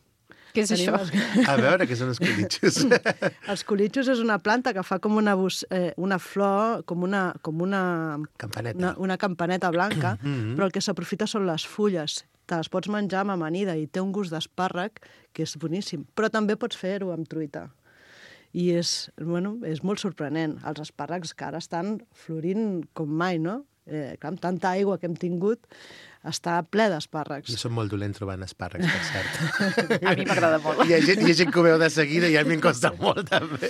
Què és Tenim això? Els... A veure, què són els colitxos? Els colitxos és una planta que fa com una, bus, eh, una flor, com una, com una, Campaneta. una, una campaneta blanca, Mm -hmm. però el que s'aprofita són les fulles. Te les pots menjar amb amanida i té un gust d'espàrrec que és boníssim. Però també pots fer-ho amb truita. I és, bueno, és molt sorprenent. Els espàrrecs que ara estan florint com mai, no? Eh, clar, amb tanta aigua que hem tingut, està ple d'espàrrecs. Jo som molt dolent trobant espàrrecs, per cert. A mi m'agrada molt. Hi ha, gent, hi ha gent que ho veu de seguida i a mi em costa molt, també.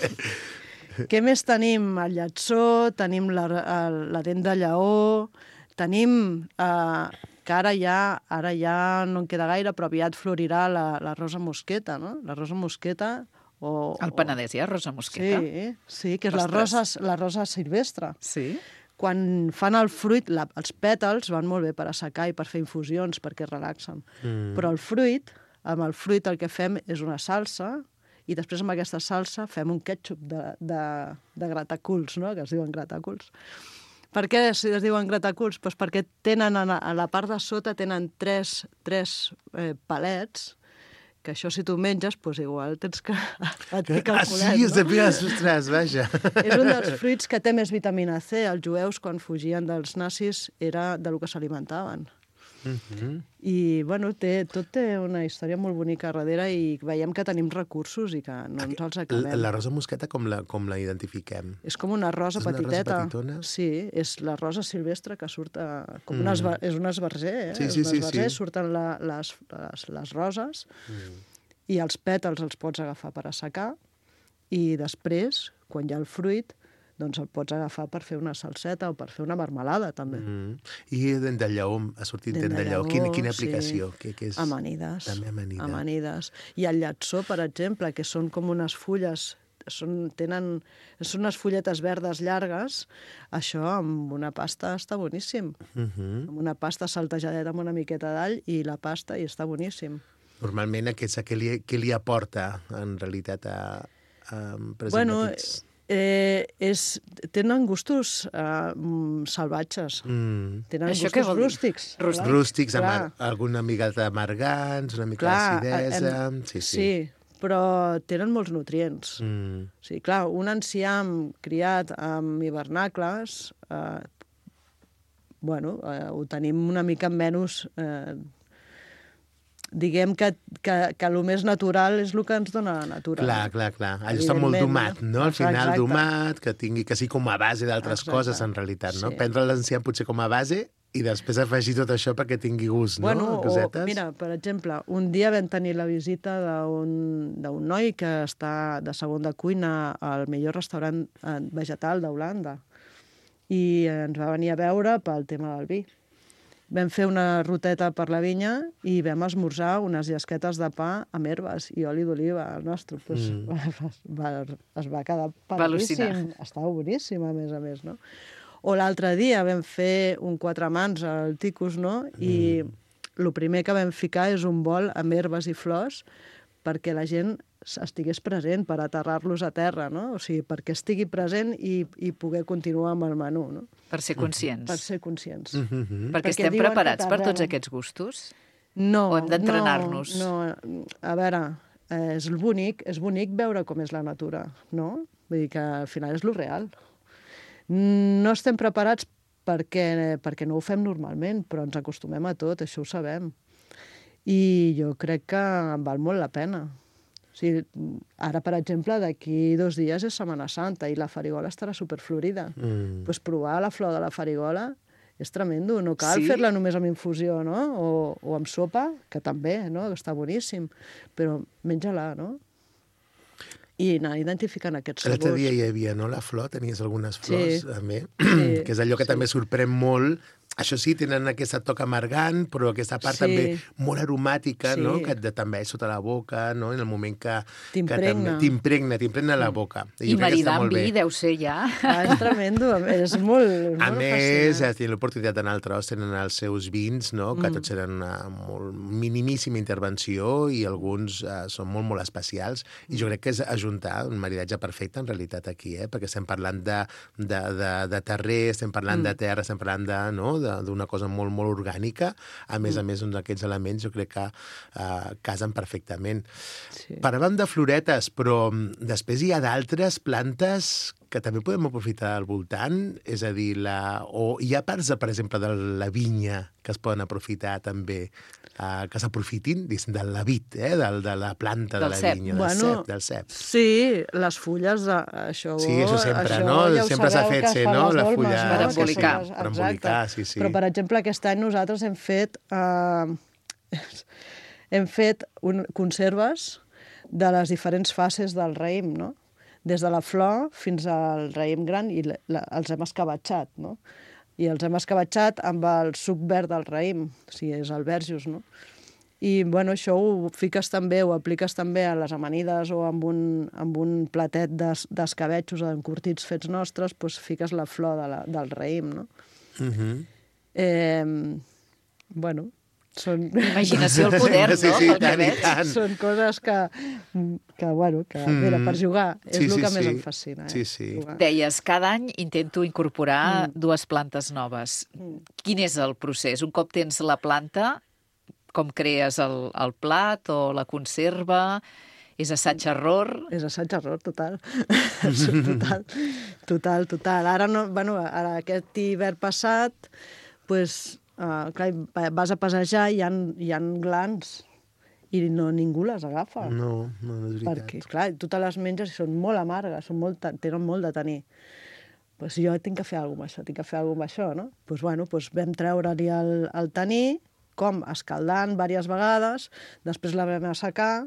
Què més tenim? El llatzó, tenim la, la dent de lleó, tenim... Eh, que ara ja, ara ja no en queda gaire, però aviat florirà la, la rosa mosqueta, no? La rosa mosqueta... O, Al Penedès hi ha rosa mosqueta? Sí, sí, que és la rosa, la rosa silvestre. Sí? Quan fan el fruit, la, els pètals van molt bé per assecar i per fer infusions, perquè relaxen. Mm. Però el fruit, amb el fruit el que fem és una salsa, i després amb aquesta salsa fem un ketchup de, de, de grataculs, no? Que es diuen grataculs. Per què es diuen grataculs? Pues perquè tenen, a la part de sota tenen tres, tres eh, palets, que això si tu menges, doncs igual tens que... Et pica el Ah, culet, sí, és de no? picar les ostres, vaja. És un dels fruits que té més vitamina C. Els jueus, quan fugien dels nazis, era de lo que s'alimentaven. Mm-hmm. I, bueno, té, tot té una història molt bonica darrere i veiem que tenim recursos i que no ens els acabem. La, la rosa mosqueta, com la, com la identifiquem? És com una rosa És una rosa petiteta. petitona? Sí, és la rosa silvestre que surt a, com Mm. un esbar, és un esbarzer, eh? Sí, sí, és un sí, esbarzer, sí. surten la, les, les, les roses Mm. i els pètals els pots agafar per assecar i després, quan hi ha el fruit, doncs el pots agafar per fer una salseta o per fer una marmelada, també. Mm. I dent de lleó, ha sortit Dent dent de de lleó. lleó, Quina, quina sí. aplicació? Que, que és... Amanides. També amanida. Amanides. I el llatzó, per exemple, que són com unes fulles, són, tenen, són unes fulletes verdes llargues, això amb una pasta està boníssim. Mm-hmm. Amb una pasta saltejadeta amb una miqueta d'all i la pasta i està boníssim. Normalment, aquest, què, li, què li aporta, en realitat, a, um, per exemple, Bueno, aquests... eh, és, tenen gustos eh, salvatges. Mm. Tenen Això què gustos vol dir? rústics. Rústics. clar, Rústics, amb clar. ar- alguna mica d'amargants, una mica Clar, d'acidesa... em- Sí, sí. sí, però tenen molts nutrients. Mm. Sí, clar, un enciam criat amb hivernacles, eh, bueno, eh, ho tenim una mica menys... Eh, diguem que, que, que el més natural és el que ens dona la natura. Clar, clar, clar. Allò està molt Evidentment, domat, no? Al final, Exacte. domat, que tingui que sigui com a base d'altres Exacte. coses, en realitat, no? Sí. Prendre l'enciam potser com a base i després afegir tot això perquè tingui gust, no? Bueno, Cosetes. o, mira, per exemple, un dia vam tenir la visita d'un d'un noi que està de segona cuina al millor restaurant eh, vegetal d'Holanda i ens va venir a veure pel tema del vi. Vam fer una ruteta per la vinya i vam esmorzar unes llesquetes de pa amb herbes i oli d'oliva. El nostre pues, Mm. va, va, es va quedar Va al·lucinar. padríssim. Estava boníssim, a més a més, no? O l'altre dia vam fer un quatre mans al Ticus, no? I el primer que vam ficar és un bol amb herbes i flors perquè la gent estigués present per aterrar-los a terra, no? O sigui, perquè estigui present i, i poder continuar amb el menú, no? Per ser conscients. Per ser conscients. Mm-hmm. Perquè, Perquè estem diuen que preparats per tots t'arrelen. aquests gustos? No, O hem d'entrenar-nos? No, no, a veure, eh, és bonic, és bonic veure com és la natura, no? Vull dir que al final és lo real. No estem preparats perquè, perquè no ho fem normalment, però ens acostumem a tot, això ho sabem. I jo crec que val molt la pena. O sigui, ara, per exemple, d'aquí dos dies és Setmana Santa i la farigola estarà superflorida. Mm. Pues provar la flor de la farigola és tremendo. No cal Sí? fer-la només amb infusió, no? O, o amb sopa, que també, no? Que està boníssim. Però menja-la, no? I anar identificant aquests sabors. L'altre dia hi havia, no?, la flor, tenies algunes flors, Sí. també, Sí, que és allò que sí. també sorprèn molt. Això sí, tenen aquesta toc amargant, però aquesta part Sí. també molt aromàtica, Sí. no?, que et també sota la boca, no?, en el moment que... T'impregna. que també- T'impregna, t'impregna la boca. I jo crec que està maridar molt amb vi bé. deu ser ja... Ah, és tremendo, és molt, és A molt més, fascinant. has tingut l'oportunitat d'anar al Tros, tenen els seus vins, no?, que Mm. tots eren una molt minimíssima intervenció i alguns uh, són molt, molt especials. I jo crec que és ajuntar un maridatge perfecte, en realitat, aquí, eh?, perquè estem parlant de, de, de, de terrer, estem parlant Mm. de terra, estem parlant de, no?, de- d'una cosa molt, molt orgànica. A més Mm. a més, doncs, aquests elements jo crec que uh, casen perfectament. Sí. Parlàvem de floretes, però mm, després hi ha d'altres plantes que també podem aprofitar al voltant, és a dir, la... o hi ha parts, de, per exemple, de la vinya que es poden aprofitar també, uh, que s'aprofitin, diguéssim, de la vid, eh? de, de la planta Del de la cep. vinya, del Bueno, cep, del cep. Sí, les fulles, de, això... Sí, això sempre, això no? Ja ho Sempre s'ha sabeu fet que es ser, fan no? les La dolmes, fulla... no? Per Que embolicar. són les- Per embolicar, sí, sí. Però, per exemple, aquest any nosaltres hem fet... Eh, hem fet un, conserves de les diferents fases del raïm, no? Des de la flor fins al raïm gran i la, la, els hem escabatxat, no? I els hem escabatxat amb el suc verd del raïm, o sigui, és el verjus, no? I, bueno, això ho fiques també, ho apliques també a les amanides o amb un, amb un platet d'es- d'escabetxos encurtits fets nostres, doncs fiques la flor de la, del raïm, no? Mhm. Eh, bueno, són... Imaginació al poder, no? Sí, sí, Pel que tant i veig. tant. Són coses que, que bueno, que, Mm. mira, per jugar, és Sí, el sí, que més sí. em fascina. Eh? Sí, sí. Jugar. Deies, cada any intento incorporar Mm. dues plantes noves. Mm. Quin és el procés? Un cop tens la planta, com crees el, el plat o la conserva? És assaig-error? És assaig-error, total. total. Total, total. Ara, no, bueno, ara aquest hivern passat, pues, uh, clar, vas a passejar i hi ha, hi ha glans i no, ningú les agafa. No, no, no és veritat. Perquè, clar, tu te les menges i són molt amargues, són molt, tenen molt de tenir. Pues jo tinc que fer alguna cosa amb això, tinc que fer alguna cosa amb això, no? Pues, bueno, pues vam treure-li el, el taní, com escaldant diverses vegades, després la vam assecar,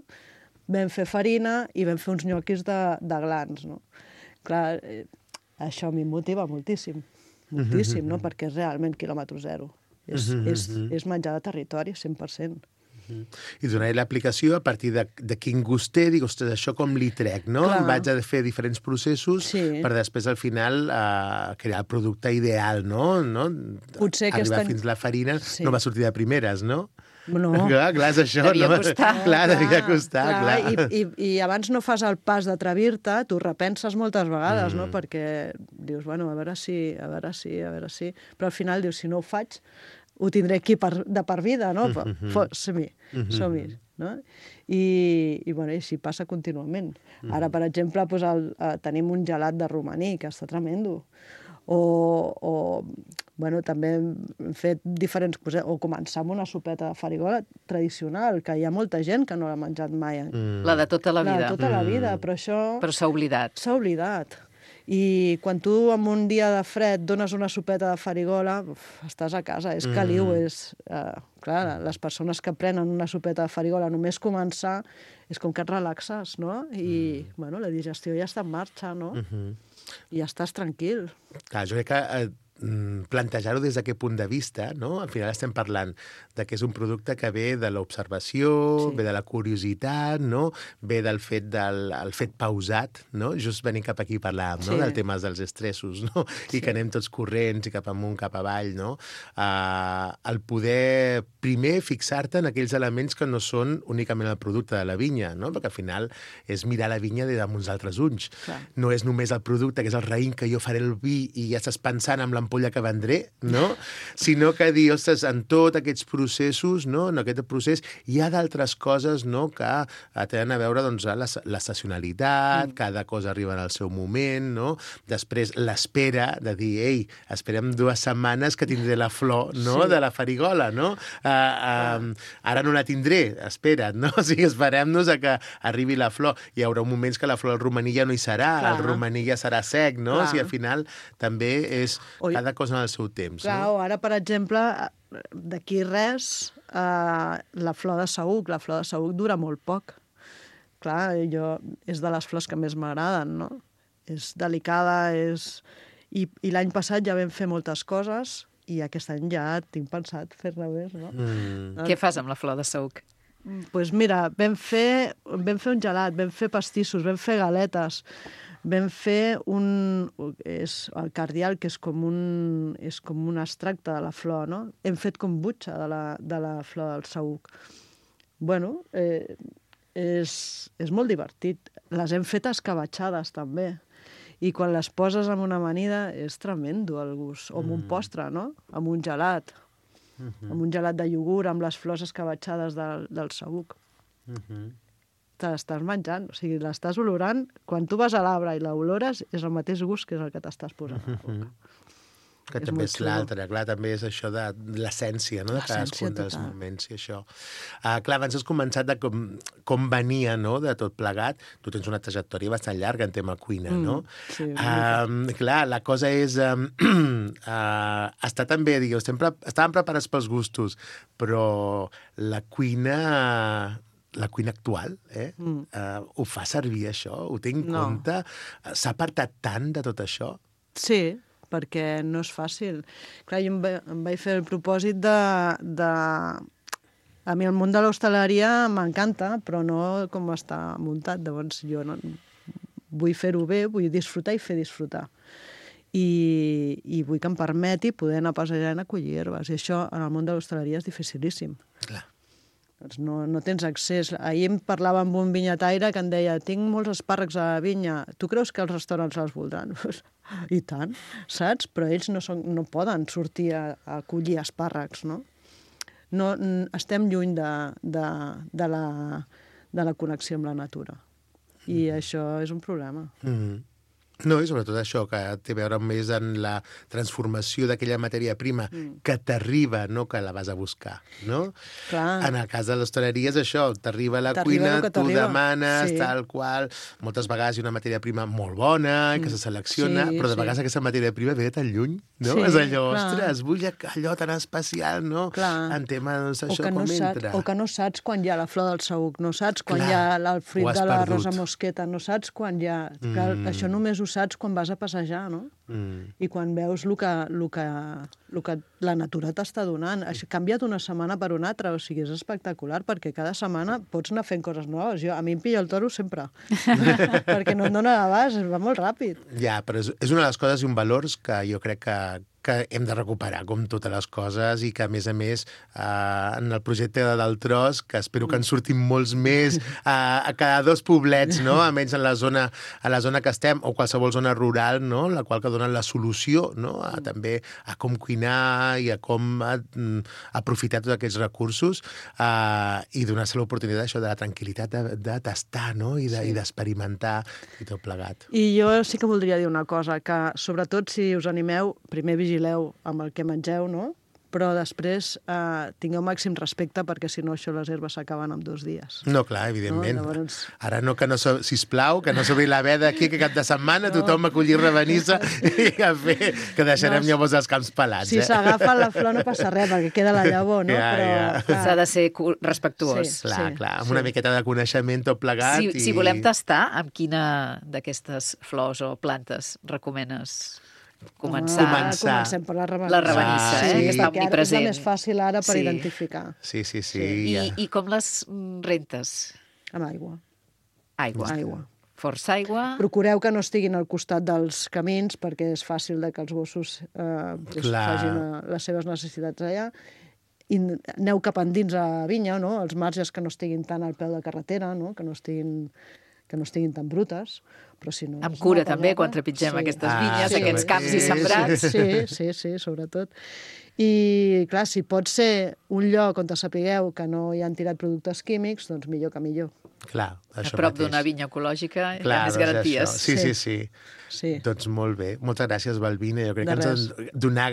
vam fer farina i vam fer uns nyoquis de, de glans, no? Clar, eh, això a mi em motiva moltíssim, moltíssim, no? Perquè és realment quilòmetre zero. És, és, és menjar de territori, cent per cent. I donaré l'aplicació a partir de, de quin gust té, dic, ostres, això com li trec, no? Clar. Em vaig a fer diferents processos Sí. per després, al final, uh, crear el producte ideal, no? no? Potser aquest Arribar any- fins a la farina Sí. no va sortir de primeres, no? No. Clar, clar, és això. Devia no? costar. Clar, devia costar, clar. I, i, I abans no fas el pas d'atrevir-te, tu repenses moltes vegades, Mm. no? Perquè dius, bueno, a veure si, a veure si, a veure si... Però al final dius, si no ho faig, ho tindré aquí per, de per vida, no? Mhm. Fo- Som-hi, Mhm. som-hi, no? I, i bueno, i així passa contínuament. Ara, per exemple, doncs el, eh, tenim un gelat de romaní, que està tremendo. O, o bueno, també hem fet diferents coses, o començar amb una sopeta de farigola tradicional, que hi ha molta gent que no l'ha menjat mai. Mm. La de tota la La vida. de tota la vida, però això Però s'ha oblidat. s'ha oblidat. I quan tu en un dia de fred dones una sopeta de farigola, uf, estàs a casa, és caliu, Mm. és... Eh, clar, les persones que prenen una sopeta de farigola només començar és com que et relaxes, no? I, Mm. bueno, la digestió ja està en marxa, no? Mhm. I ja estàs tranquil. Clar, jo crec que eh, mm, plantejar-ho des d'aquest punt de vista, no? Al final estem parlant de que és un producte que ve de l'observació, Sí. ve de la curiositat, no? Ve del fet del el fet pausat, no? Just venint cap aquí parlàvem, no? Sí. Del tema dels estressos, no? I que anem tots corrents i cap amunt, cap avall, no? Uh, el poder, primer, fixar-te en aquells elements que no són únicament el producte de la vinya, no? Perquè al final és mirar la vinya des d'uns altres ulls. Clar. No és només el producte, que és el raïm que jo faré el vi i ja estàs pensant en l'ampolla que vendré, no? Sinó que dir, ostres, en tots aquests processos, no? En aquest procés hi ha d'altres coses, no?, que eh, tenen a veure, doncs, amb l'estacionalitat, mm. cada cosa arriba en el seu moment, no? Després, l'espera de dir, ei, esperem dues setmanes que tindré la flor, no?, Sí. de la farigola, no? Uh, uh, ara no la tindré, espera't, no? O sigui, esperem-nos a que arribi la flor. Hi haurà moments que la flor del romaní ja no hi serà, Clar. el romaní ja serà sec, no? Clar. O sigui, al final també és Oi. cada cosa en el seu temps, Clar, no? o ara, per exemple, d'aquí res, eh, la flor de saüc. La flor de saüc dura molt poc. Clar, jo, és de les flors que més m'agraden, no? És delicada, és... I, i l'any passat ja vam fer moltes coses i aquest any ja tinc pensat fer-ne més, no? Mm. Què fas amb la flor de saüc? Doncs pues mira, vam fer, vam fer un gelat, vam fer pastissos, vam fer galetes, vam fer un... És el cardial, que és com un, és com un extracte de la flor, no? Hem fet kombucha de la, de la flor del saüc. Bueno, eh, és, és molt divertit. Les hem fet escabatxades, també. I quan les poses en una amanida és tremendo el gust. O amb un postre, no? Amb un gelat. Mhm. Amb un gelat de iogurt, amb les flors escabatxades del, del saüc. Mhm. Te l'estàs menjant, o sigui, l'estàs olorant. Quan tu vas a l'arbre i l'olores, és el mateix gust que és el que t'estàs posant a la boca. Que És també molt és xulo. l'altre, clar, també és això de l'essència, no?, de L'essència cadascun dels total. moments i això. Uh, clar, abans has començat de com, com venia, no?, de tot plegat. Tu tens una trajectòria bastant llarga en tema cuina, Mm, no? sí, Um, clar, la cosa és... Um, uh, està també, digueu, estem pre estàvem preparats pels gustos, però la cuina... la cuina actual, eh? Mm. Uh, ho fa servir, això? Ho té en No. compte? S'ha apartat tant de tot això? Sí, perquè no és fàcil. Clar, jo em, va, em vaig fer el propòsit de, de... A mi el món de l'hostaleria m'encanta, però no com està muntat. Llavors jo no... vull fer-ho bé, vull disfrutar i fer disfrutar. I, i vull que em permeti poder anar a passejar i acollir herbes. I això en el món de l'hostaleria és dificilíssim. Clar. Doncs no, no tens accés. Ahir em parlava amb un vinyataire que em deia tinc molts espàrrecs a la vinya, tu creus que els restaurants els voldran? I tant, saps? Però ells no, són, no poden sortir a, a collir espàrrecs, no? no estem lluny de, de, de, la, de la connexió amb la natura. I mm. això és un problema. Mm. No, i sobretot això, que té a veure més en la transformació d'aquella matèria prima mm. que t'arriba, no que la vas a buscar, no? Clar. En el cas de l'hostaleria és això, t'arriba a la T'arriba cuina, el que tu t'arriba. demanes, Sí. tal qual, moltes vegades hi ha una matèria prima molt bona, mm. que se selecciona, Sí, però de sí. vegades aquesta matèria prima ve de tan lluny, no? Sí, És allò, clar. ostres, vull allò tan especial, no? Clar. En tema, doncs, O això que, no com saps, entra. o que no saps quan hi ha la flor del saüc, no saps quan Clar, hi ha el ho fruit has de la perdut. rosa mosqueta, no saps quan hi ha... Clar, Mm. això només ho saps quan vas a passejar, no? Mm. I quan veus el que, el que, el que la natura t'està donant. Ha canviat una setmana per una altra, o sigui, és espectacular, perquè cada setmana pots anar fent coses noves. Jo, a mi em pilla el toro sempre, perquè no et dona l'abast, va molt ràpid. Ja, però és, és una de les coses i un valors que jo crec que, que hem de recuperar, com totes les coses, i que, a més a més, eh, en el projecte del Tros, que espero que en surtin molts més a, a cada dos poblets, no? Almenys en la zona, a la zona que estem, o qualsevol zona rural, no? La qual que donen la solució, no? A, també a com cuinar i a com a, a aprofitar tots aquests recursos eh, i donar-se l'oportunitat això de la tranquil·litat de, de tastar, no? I de, sí. i d'experimentar i tot plegat. I jo sí que voldria dir una cosa, que sobretot si us animeu, primer vigileu amb el que mengeu, no? Però després eh, tingueu màxim respecte perquè si no això les herbes s'acaben en dos dies. No, clar, evidentment. No? Llavors... Ara no, que no, so, sisplau, que no s'obri la veda aquí, que cap de setmana no. tothom a collir rebenissa i a fer, que deixarem no, llavors els camps pelats. Si eh? s'agafa la flor no passa res, perquè queda la llavor, no? Ja, Però ja. s'ha de ser respectuós. Sí, clar, sí, clar, amb sí. una miqueta de coneixement tot plegat. Si, i... si volem tastar, amb quina d'aquestes flors o plantes recomanes començar? Ah, comencem per la rabanissa. La rabanissa, Ah, eh? sí. Que està perquè omnipresent. és la més fàcil ara per Sí. identificar. Sí, sí, sí. I, ja. I com les rentes? Amb aigua. Aigua. Aigua. Força aigua. Procureu que no estiguin al costat dels camins perquè és fàcil de que els gossos eh, pues, Clar. facin eh, les seves necessitats allà. I aneu cap endins a vinya, no? Els marges que no estiguin tant al peu de carretera, no? Que no estiguin que no estiguin tan brutes, però si no... Amb cura, també, quan trepitgem sí. aquestes Ah, vinyes, sí, aquests camps sí, i sembrats. Sí, sí, sí, sobretot. I, clar, si pot ser un lloc on sapigueu que no hi han tirat productes químics, doncs millor que millor. Clar, A això prop mateix. d'una vinya ecològica hi Clar, ha més doncs garanties. això. Sí, sí, sí. Sí. Doncs molt bé. Moltes gràcies, Balbina. Jo crec De que ens han donar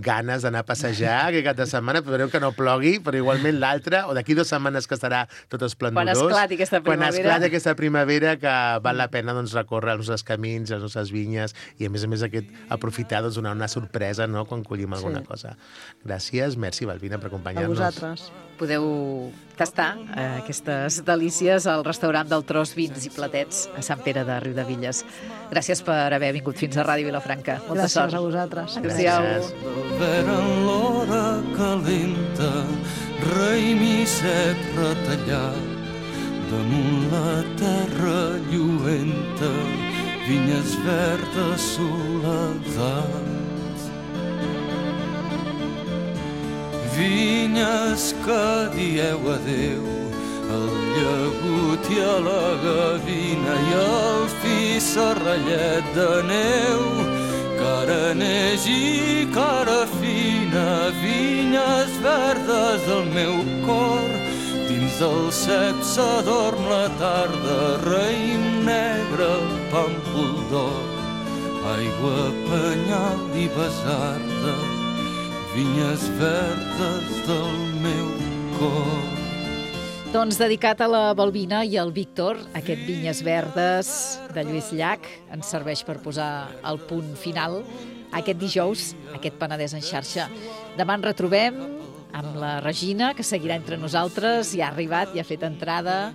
ganes d'anar a passejar aquest cap de setmana. Espereu que no plogui, però igualment l'altre, o d'aquí dues setmanes que estarà tot esplendorós. Quan esclati aquesta Quan primavera. esclati aquesta primavera, que val la pena doncs, recórrer els nostres camins, les nostres vinyes, i a més a més aquest aprofitar doncs, donar una sorpresa, no?, quan collim alguna Sí. cosa. Gràcies, merci, Balbina, per A acompanyar-nos. vosaltres. Podeu tastar eh, aquestes delícies al restaurant del Tros Vins i Platets a Sant Pere de Riudevilles. Gràcies per haver vingut fins a Ràdio Vilafranca. Molta Gràcies sort. a vosaltres. Adéu-siau. Gràcies. Veren l'hora calenta, raïm i cep retallat, damunt la terra lluenta, vinyes verdes, soledat. Vinyes que dieu adeu al llagut i a la gavina i al fi serrallet de neu, cara neix i cara fina, vinyes verdes del meu cor, dins del cep s'adorm la tarda, raïm negre, pàmpol d'or, aigua, penyal i besarda, vinyes verdes del meu cor. Doncs dedicat a la Balbina i al Víctor, aquest Vinyes Verdes de Lluís Llach ens serveix per posar el punt final aquest dijous, aquest Penedès en xarxa. Demà ens retrobem amb la Regina, que seguirà entre nosaltres, ja ha arribat, ja ha fet entrada,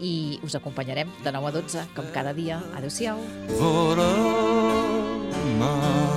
i us acompanyarem de nou a dotze, com cada dia. Adéu-siau. Vora mar